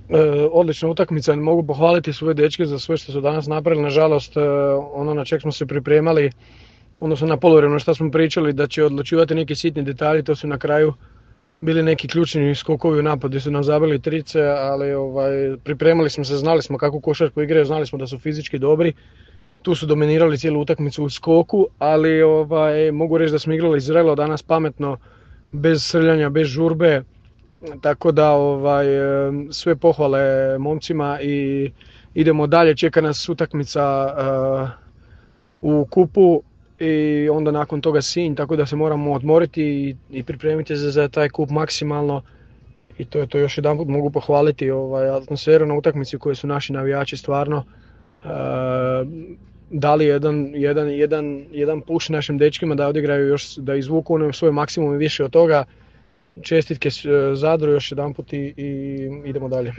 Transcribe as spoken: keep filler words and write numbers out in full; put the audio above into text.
E, odlična utakmica, mogu pohvaliti svoje dečke za sve što su danas napravili. Nažalost, e, ono na čeg smo se pripremali, odnosno na poluvremenu što smo pričali da će odlučivati neki sitni detalji, to su na kraju bili neki ključni skokovi u napadu gdje su nam zabili trice, ali ovaj, pripremali smo se, znali smo kakvu košarku igraju, znali smo da su fizički dobri. Tu su dominirali cijelu utakmicu u skoku, ali ovaj, mogu reći da smo igrali zrelo danas, pametno, bez srljanja, bez žurbe. Tako da ovaj, sve pohvale momcima i idemo dalje, čeka nas utakmica uh, u kupu i onda nakon toga Sinj, tako da se moramo odmoriti i, i pripremiti se za taj kup maksimalno. I to je to, još jedanput mogu pohvaliti ovaj, atmosferu na utakmici u kojoj su naši navijači stvarno uh, dali jedan, jedan, jedan, jedan push našim dečkima da odigraju još, da izvuku ono svoj maksimum i više od toga. Čestitke Zadru još jedanput i, i idemo dalje.